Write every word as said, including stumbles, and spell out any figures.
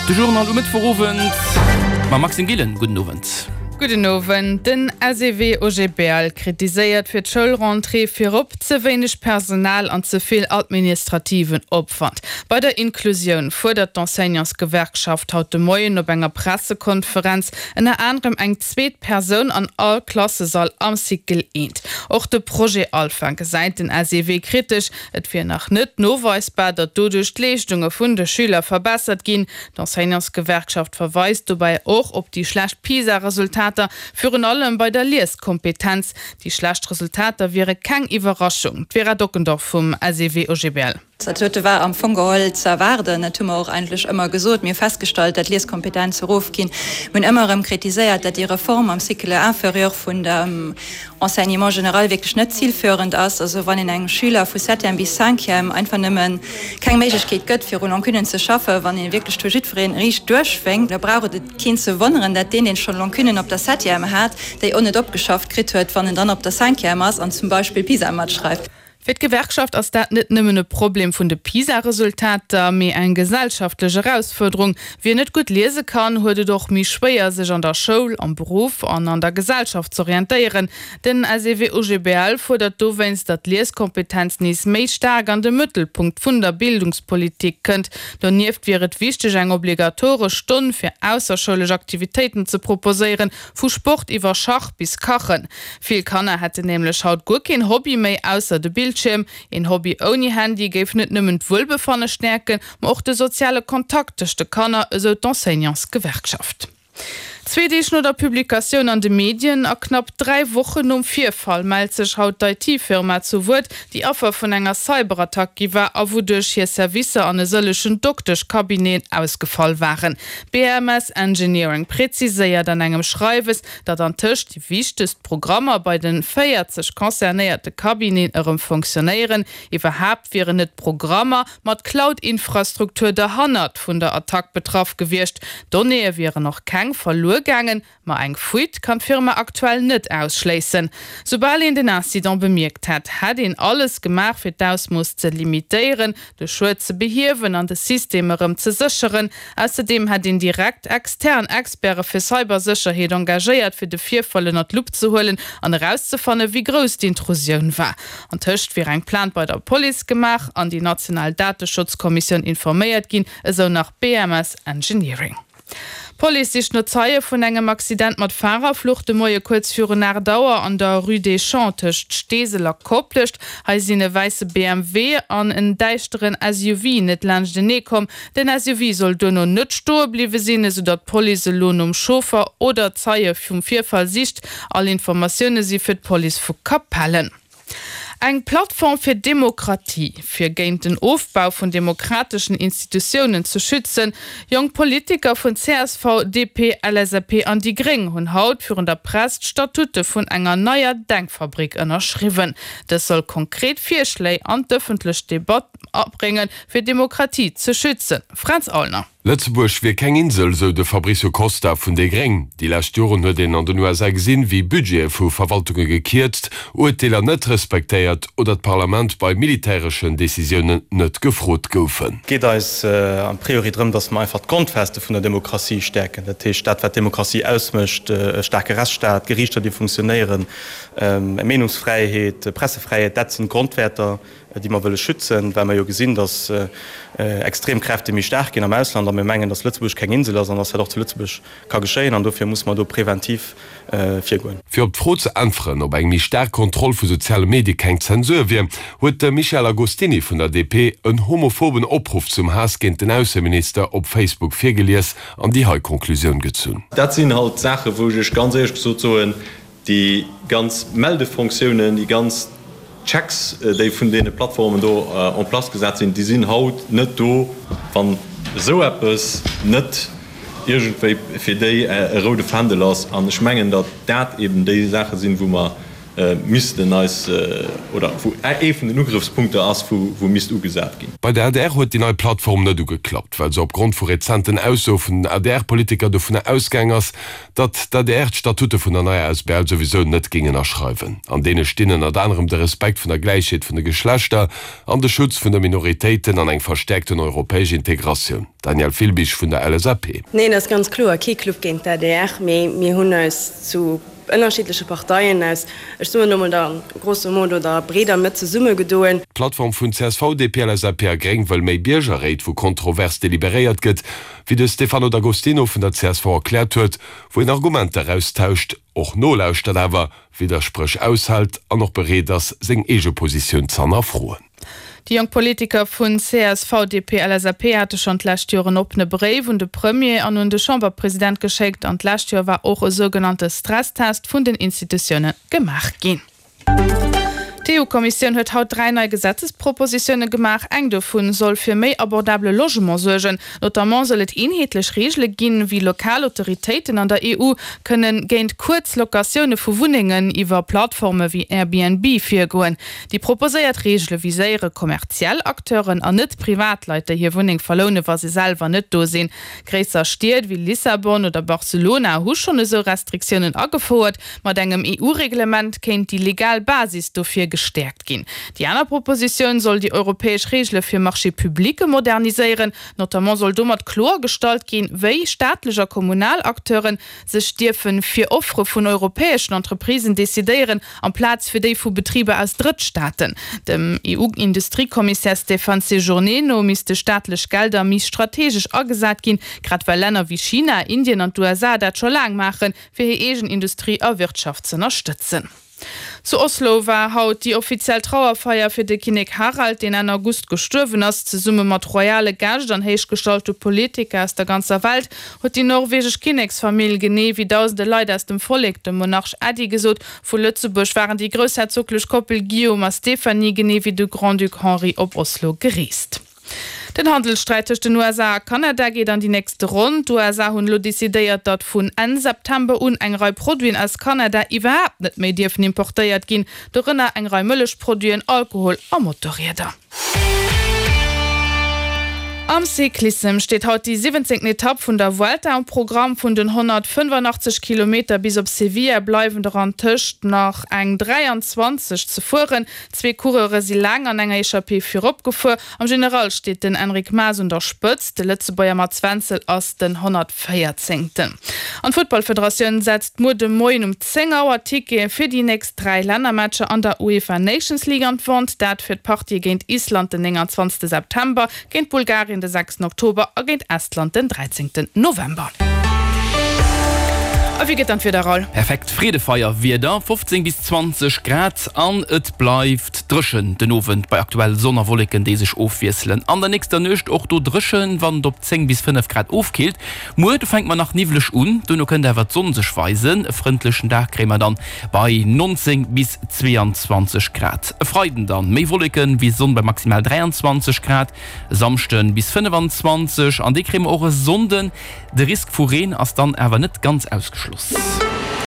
De Journal um Mëttwochowend mam Maxime Gillen. Gudden Owend. Gudden Owend. Den S E W O G B L kritiséiert fir d'Schoulrentrée virop ze wéineg Personal an ze vill administrativen Opwand. Bei der Inklusioun fuerdert d'Enseignantsgewerkschaft haut de Moien op enger Pressekonferenz ënner anerem eng zweet Persoun an all Klassesall am Cycle eent. Och de Projet Alpha gesäit den S E W kritesch. Et wier nach net noweisbar, datt doduerch d'Leeschtunge vun de Schüler verbessert ginn. D'Enseignantsgewerkschaft verweist dobäi och op déi schlecht PISA-Resultater, virun allem bei der Lieskompetenz. Déi schlecht Resultater wiere keng Iwwerraschung. D'Vera Dockendorf vum S E W O G B L. Dat huet war am Fong geholl ze erwaarden. Dat hu mer och eigentlech ëmmer gesot. Mir festgestallt, dat Lieskompetenz erofginn. Mir hunn ëmmer erëm kritiséiert, dat déi Reform am Cycle inférieur vun dem Enseignement général wierklech net zielführend ass. Also wann een engem Schüler vu septième bis cinquième einfach nëmmen keng Méiglechkeet gëtt, fir u Lacunnen ze schaffen, wann een wierklech do jiddwereen riicht duerchwénkt, da brauch et keen ze wonneren, dat deen, deen schonn Lacunnen op der septième hat, déi och net opgeschafft kritt huet, wann en dann op der cinquième ass an zum Beispill PISA matschreift. Fir d'Gewerkschaft ass dat net nëmmen e Problem vun de PISA-Resultater, mee eng gesellschaftlech Erausfuerderung. Wien net gutt liese kann, huet et och méi schwéier, sech an der Schoul, am Beruff an an der Gesellschaft z'orientéieren. Den S E W O G B L fuerdert dowéinst, datt d'Lieskompetenz nees méi staark an de Mëttelpunkt vun der Bildungspolitik kënnt. Donieft wier et wichteg, eng obligatoresch Stonn fir ausserschoulesch Aktivitéiten ze proposéieren, vu Sport iwwer Schach bis Kachen. Vill Kanner hätten nämlech haut guer keen Hobby méi ausser de Bildschierm. Een Hobby ouni Handy géif net nëmmen d'Wuelbefanne stäerken, ma och de soziale Kontakt tëscht de Kanner, esou d'Enseignantsgewerkschaft. Zwee Deeg no der Publikatioun an de Medien a knapp dräi Wochen nom Virfall mellt sech haut d'I T-Firma zu Wuert, déi Affer vun enger Cyberattack gi war a wouduerch hir Servicer an e sëllegen Dokteschcabineten ausgefall waren. B M S Engineering präziséiert an engem Schreiwes, datt antëscht déi wichtegst Programmer bei de véierzeg concernéierte Cabineten erëm funktionéieren. Iwwerhaapt wieren net Programmer mat Cloud-Infrastruktur derhannert vun der Attack betraff gewiescht. Donnéeë wieren och keng verluer gaangen, ma eng Fuite kann d'Firma aktuell net ausschléissen. Soubal een den Incident bemierkt hätt, hätt een alles gemaach fir d'Ausmooss ze limitéieren, de Schued ze behiewen an de System erëm ze sécheren. Ausserdeem hätt een direkt extern Experte fir Cybersécherheet engagéiert, fir de Virfall ënner d'Lupp ze huelen an erauszefannen, wéi grouss d'Intrusioun war. Antëscht wier eng Plainte bei der Police gemaach an déi national Dateschutzkommissioun informéiert ginn, esou nach B M S Engineering. D'Police sicht no Zeie vun engem Accident mat Farerflucht de Moie kuerz virun aacht Auer an der Rue des Champs tëscht Steesel a Koplescht. Hei sinn e wäisse B M W an en däischteren S U V net laanschtenee komm. Den S U V soll duerno net stoe bliwwe sinn, esou datt d'Police elo nom Chauffer oder Zeie vum Virfall sicht. All Informatioune si fir d'Police vu Capellen. Eng Plattform fir Demokratie, fir géint den Ofbau vun demokrateschen Institutiounen ze schützen. Jonk Politiker vun C S V, D P, L S A P an déi Gréng hunn haut virun der Press d'Statute vun enger neier Denkfabrik ënnerschriwwen. Dës soll konkret Virschléi an d'ëffentlech Debatt abréngen, fir Demokratie ze schützen. Fränz Aulner. Lëtzebuerg wier keng Insel, sou de Fabricio Costa vun déi Gréng. Déi lescht Joren huet een an den U S A gesinn, wéi Budgete vu Verwaltunge gekierzt, Urteeler net respektéiert oder d'Parlament bei militäreschen Decisiounen net gefrot goufen. Et geet eis a priori drëm, datt mer einfach d'Grondfeste vun der Demokratie stäerken. Dat heescht dat wat Demokratie ausmécht, e staarke Rechtsstaat, Geriichter déi funktionéieren, Meenungsfräiheet, Pressefräiheet, dat sinn Grondwäerter, déi mer wëlle schützen, well mer jo gesinn, datt extrem Kräfte méi staark ginn am Ausland a mir mengen, datt Lëtzebuerg keng Insel ass an datt dat och zu Lëtzebuerg ka geschéien an dofir muss mer do präventiv virgoen. Fir op d'Fro ze äntweren, ob eng méi staark Kontroll vu soziale Medie keng Zensur wier, huet de Michel Agostini vun der D P en homophoben Opruff zum Haass géint den Ausseminister op Facebook virgelies an déi hei Konklusioun gezunn. Dat sinn halt Saachen, wou ech ganz éierlech gesot soen, déi ganz Meldefonctiounen, déi ganz Checks, déi vun deene Plattformen do en place gesat sinn, déi sinn haut net do, wann esou eppes net iergendwéi fir déi e roude Fändel ass. An ech mengen, datt dat eben déi Saache sinn, wou mer missten eis, oder wou ee vun den Ugrëffspunkter ass, wou misst ugesat ginn. Bei der adr huet déi nei Plattform net ugeklappt, well se opgrond vu rezenten Aussoe vun den ADR-Politiker dovunner ausgaang ass, datt d'ADR d'Statute vun der neier asbl souwisou net géing ënnerschreiwen. An deene stinn ënnert anerem de Respekt vun der Gläichheet vun de Geschlechter an de Schutz vun de Minoritéiten an eng verstäerkten europäesch Integratioun. Danièle Filbig vun der LSAP. Neen, dat ass ganz kloer kee Club géint d'ADR, mee mir hunn eis zu ënnerschiddleche Parteien aus, ech soen elo mol der grosso modo der breeder Mëtt zesummegedoen. D'Plattform vun csv, DP, LSAP a Gréng wëll méi Biergerréit, wou kontrovers deliberéiert gëtt, wéi de Stefano D'Agostino vun der csv erkläert huet, wou een Argumenter austauscht, och nolauschtert, awer Widderspréch aushält an och bereet ass, seng eege Positioun z'hannerfroen. Déi jonk Politiker vun csv, DP, LSAP hate schonn d'lescht Joer en oppene Bréif un de Premier an un de Chamberpresident geschéckt an d'lescht Joer war och e sougenannte Stresstest vun den Institutioune gemaach ginn. D'EU-Kommissioun huet haut dräi nei Gesetzespropositioune gemaach. Eng dovun soll fir méi abordabele Logement suergen. Notamment soll et eenheetlech Reegele ginn, wéi lokal Autoritéiten an der EU kënne géint kuerz Locatioune vu Wunnengen iwwer Plattforme wéi Airbnb virgoen. Déi proposéiert Reegele viséiere kommerziell Acteuren an net Privatleit, déi hir Wunneng verloune wa se selwer net do sinn. Gréisser Stied wéi Lissabon oder Barcelona hu schonn esou Restriktiounen agefouert. Mat engem EU-Reglement kéint déi legal Basis dofir gestäerkt ginn. Déi aner Propositioun soll déi europäesch Reegele fir Marchés publics moderniséieren. Notamment soll domat kloergestallt ginn, wéi staatlech a kommunal Acteure sech dierfe fir Offere vun europäeschen Entreprisen decidéieren, amplaz fir déi vu Betriber aus Drëttstaaten. Dem EU-Industriekommissär Stéphane Séjourné no misste staatlech Gelder méi strategesch agesat ginn, grad well Länner wéi China, Indien an d'USA dat scho laang maachen, fir hir eegen Industrie a Wirtschaft z'ënnerstëtzen. Zu Oslo war haut déi offiziell Trauerfeier fir de Kinnek Harald, deen Enn August gestuerwen ass. Zesumme mat royale Gäscht an héichgestallte Politiker aus der ganzer Welt huet déi norwegesch Kinneksfamill, genee wéi dausende Leit aus dem Vollek, dem Monarch Äddi gesot. Vu Lëtzebuerg waren déi groussherzoglech Koppel Guillaume a Stéphanie, genee wéi de Grand-Duc Henri op Oslo gereest. Den Handelssträit tëscht den USA a Kanada geet an déi nächste Ronn. D'USA hunn elo decidéiert, datt vun Enn September un eng Rei Produiten aus Kanada iwwerhaapt net méi dierfen importéiert ginn, dorënner eng Rei Mëllechproduiten, Alkohol a Motorrieder. Am Cyclissem steet haut déi siwwenzéngten Etapp vun der Vuelta um Programm. Vun den honnertfënnefannachtzeg Kilometer bis op Sevilla bleiwen der antëscht nach eng dräianzwanzeg ze fueren. Zwee Coureure si laang an enger Echappée virop gefuer. Am General steet den Enric Mas un der Spëtzt, de Lëtzebuerger Mats Wenzel ass den honnertvéierzéngten. An d'Futtballfederatioun setzt muer de Moien um zéng Auer d'Tickete fir déi nächst dräi Lännermatcher an der UEFA Nations League an d'Vente. Dat fir d'Partië géint Island den nénganzwanzegste September, géint Bulgarien de sechsten Oktober a géint Estland den dräizéngten November. A wéi gëtt dann d'Wieder, Raoul? Perfekt Freedefeier-Wieder, fofzéng bis zwanzeg Grad an et bleift dréchen den Owend bei aktuell Sonn a Wolleken, déi sech ofwiesselen. An der nächster Nuecht och do dréchen, wann et op zéng bis fënnef Grad ofkillt. Muer, do fänke mer nach niwwleg un, duerno kënnt awer d'Sonn sech weisen. E frëndlechen Dag kréie mer dann bei nonzéng bis zweeanzwanzeg Grad. E Freiden dann méi Wolleken wéi Sonn bei maximal dräianzwanzeg Grad, e Samschden bis fënnefanzwanzeg an déi kréie mer och e Sonnden. De Risk vu Reen ass dann awer net ganz ausgeschloss.